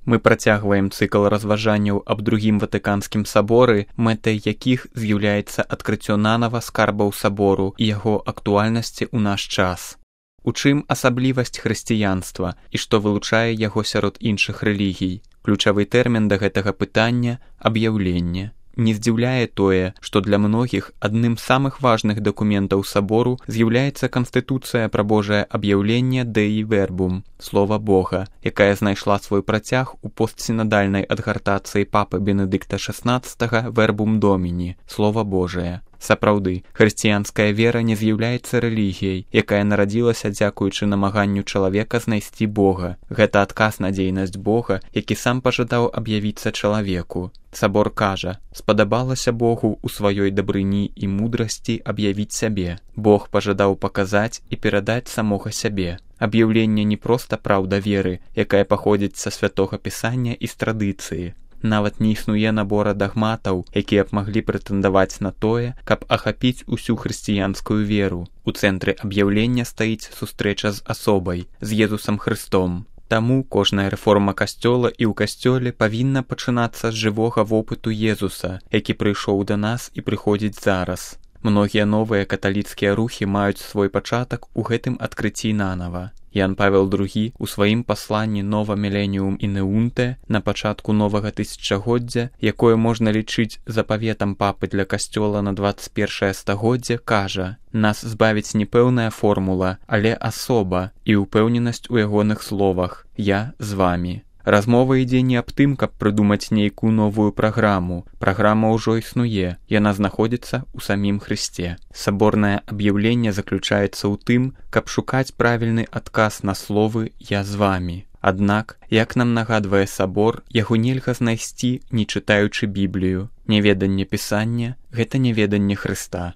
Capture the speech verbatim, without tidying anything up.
Мы працягваем цыкл разважанняў аб другім ватыканскім саборы, мэтай якіх з'яўляецца адкрыццё нанава скарбаў сабору і яго актуальнасці ў наш час. У чым асаблівасць хрысціянства і што вылучае яго сярод іншых рэлігій? Ключавы тэрмін да гэтага пытання – аб'яўленне. Не здзіўляе тое, што для многіх адным з самых важных дакументаў сабору з'яўляецца Канстытуцыя пра Божае аб'яўленне Dei Verbum, слова Бога, якая знайшла свой працяг у постсінадальнай адгартацыі папы Бенедыкта шаснаццатага Verbum Domini, слова Божае. Сапраўды, хрысціянская вера не з'яўляецца рэлігіяй, якая нарадзілася дзякуючы намаганню чалавека знайсці Бога. Гэта адказ на дзейнасць Бога, які сам пажадаў аб'явіцца чалавеку. Сабор кажа, спадабалася Богу ў сваёй дабрыні і мудрасці аб'явіць сябе. Бог пажадаў паказаць і перадаць самога сябе. Аб'яўленне не проста праўда веры, якая паходзіць са святога пісання і з традыцыі. Нават не існуе набора дагматаў, якія б маглі прэтэндаваць на тое, каб ахапіць усю хрысціянскую веру. У цэнтры аб'яўлення стаіць сустрэча з асобай, з Езусам Хрыстом. Таму кожная рэформа касцёла і ў касцёле павінна пачынацца з жывога вопыту Езуса, які прыйшоў да нас і прыходзіць зараз. Многія новыя каталіцкія рухі маюць свой пачатак у гэтым адкрыцці нанава. Ян Павел другі у сваім пасланні Nova Millennium Ineunte на пачатку новага тысячагоддзя, якое можна лічыць запаветам папы для касцёла на дваццаць першае стагоддзе, кажа: «Нас збавіць не пэўная формула, але асоба і ўпэўненасць у ягоных словах. Я з вамі». Размова ідзе не аб тым, каб прыдумаць нейкую новую праграму. Праграма ўжо існуе, яна знаходзіцца ў самім Хрысце. Саборнае аб'яўленне заключаецца ў тым, каб шукаць правільны адказ на словы «Я з вамі». Аднак, як нам нагадвае сабор, яго нельга знайсці, не чытаючы Біблію. Няведанне пісання – гэта няведанне Хрыста.